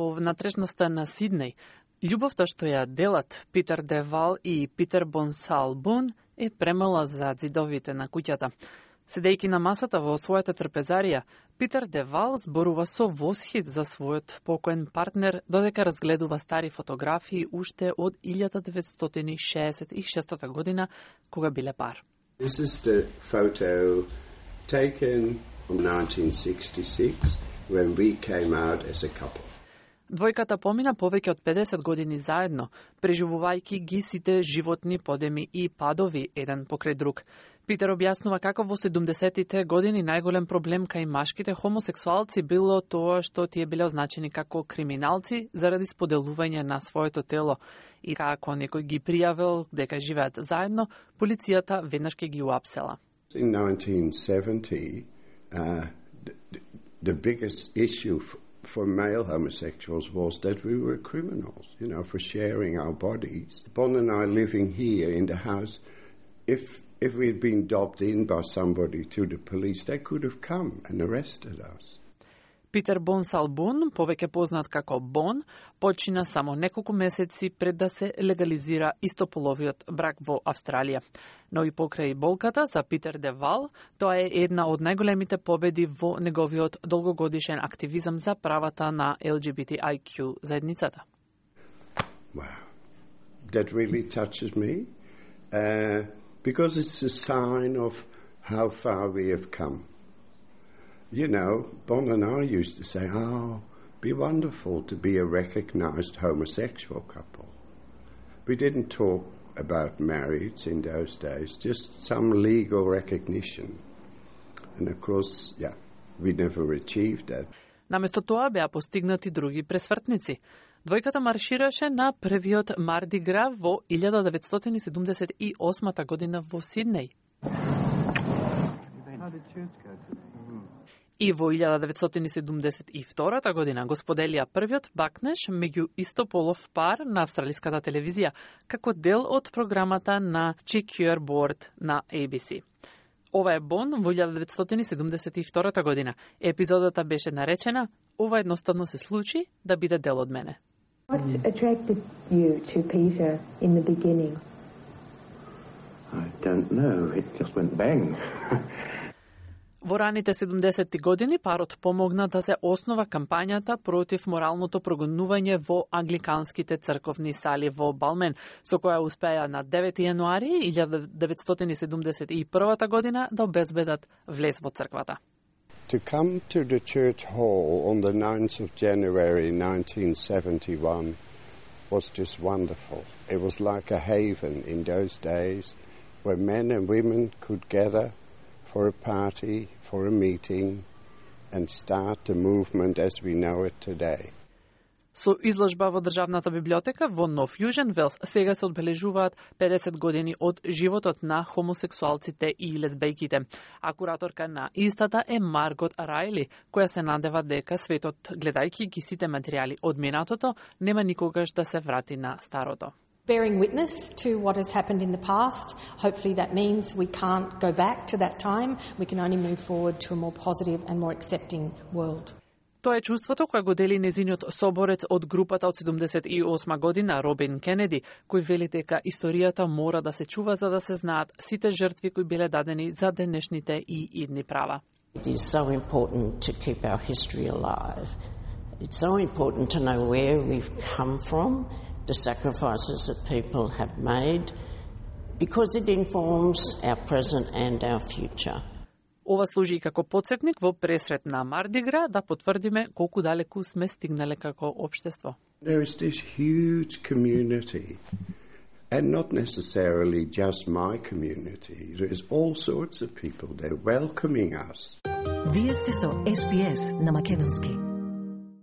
во внатрешноста на Сиднеј. Љубовта што ја делат Питер де Вал и Питер Бонсалбун е премала за зидовите на куќата. Седејќи на масата во својата трпезарија, Питер де Вал зборува со восхит за својот покоен партнер, додека разгледува стари фотографии уште од 1966 година, кога биле пар. This is the photo taken in 1966 when we came out as a couple. Двојката помина повеќе од 50 години заедно, преживувајќи ги сите животни подеми и падови еден покрај друг. Питер објаснува како во 70-тите години најголем проблем кај машките хомосексуалци било тоа што тие биле означени како криминалци заради споделување на своето тело и како некој ги пријавил дека живеат заедно, полицијата веднаш ќе ги уапсела. In 1970, the biggest issue for male homosexuals was that we were criminals, for sharing our bodies. Bon and I living here in the house, if we had been dobbed in by somebody to the police, they could have come and arrested us. Питер Бонсалбун, повеќе познат како Бон, почина само неколку месеци пред да се легализира истополовиот брак во Австралија. Но и покрај болката за Питер де Вал, тоа е една од најголемите победи во неговиот долгогодишен активизам за правата на LGBTIQ заедницата. Wow, that really touches me, because it's a sign of how far we have come. Bon and I used to say, be wonderful to be a recognized homosexual couple. We didn't talk about marriage in those days, just some legal recognition. And of course, we never achieved that. Наместо тоа беа постигнати други пресвртници. Двојката маршираше на првиот Марди Гра во 1978 година во Сиднеј. И во 1972 година го споделија првиот бакнеш меѓу истополов пар на австралиската телевизија, како дел од програмата на Checkerboard на ABC. Ова е Бон во 1972 година. Епизодата беше наречена "Ова едноставно се случи да биде дел од мене". What attracted you to Peter in the beginning? I don't know. It just went bang. Во раните 70-ти години парот помогна да се основа кампањата против моралното прогонување во англиканските црковни сали во Балмен, со која успеа на 9 јануари 1971 година да обезбедат влез во црквата. To come to the church hall on the 9th of January 1971 was just wonderful. It was like a haven in those days where men and women could gather for a party, for a meeting, and start the movement as we know it today. Со изложба во Државната библиотека во Нов Јужен Велс сега се одбележуваат 50 години од животот на хомосексуалците и лесбејките. А кураторка на истата е Маргот Рајли, која се надева дека светот, гледајќи ги сите материјали од минатото, нема никогаш да се врати на старото. Bearing witness to what has happened in the past, hopefully that means we can't go back to that time. We can only move forward to a more positive and more accepting world. Тоа е чувството кој го дели незиниот соборец од групата од 78 година, Робин Кенеди, кој вели дека историјата мора да се чува за да се знаат сите жртви кои биле дадени за денешните и идни права. It is so important to keep our history alive. It's so important to know where we've come from, the sacrifices that people have made, because it informs our present and our future. Ова служи и како потсетник во пресрет на Мардигра да потврдиме колку далеку сме стигнале како општество. There is this huge community, and not necessarily just my community. There is all sorts of people there welcoming us. Вие сте со SBS на македонски.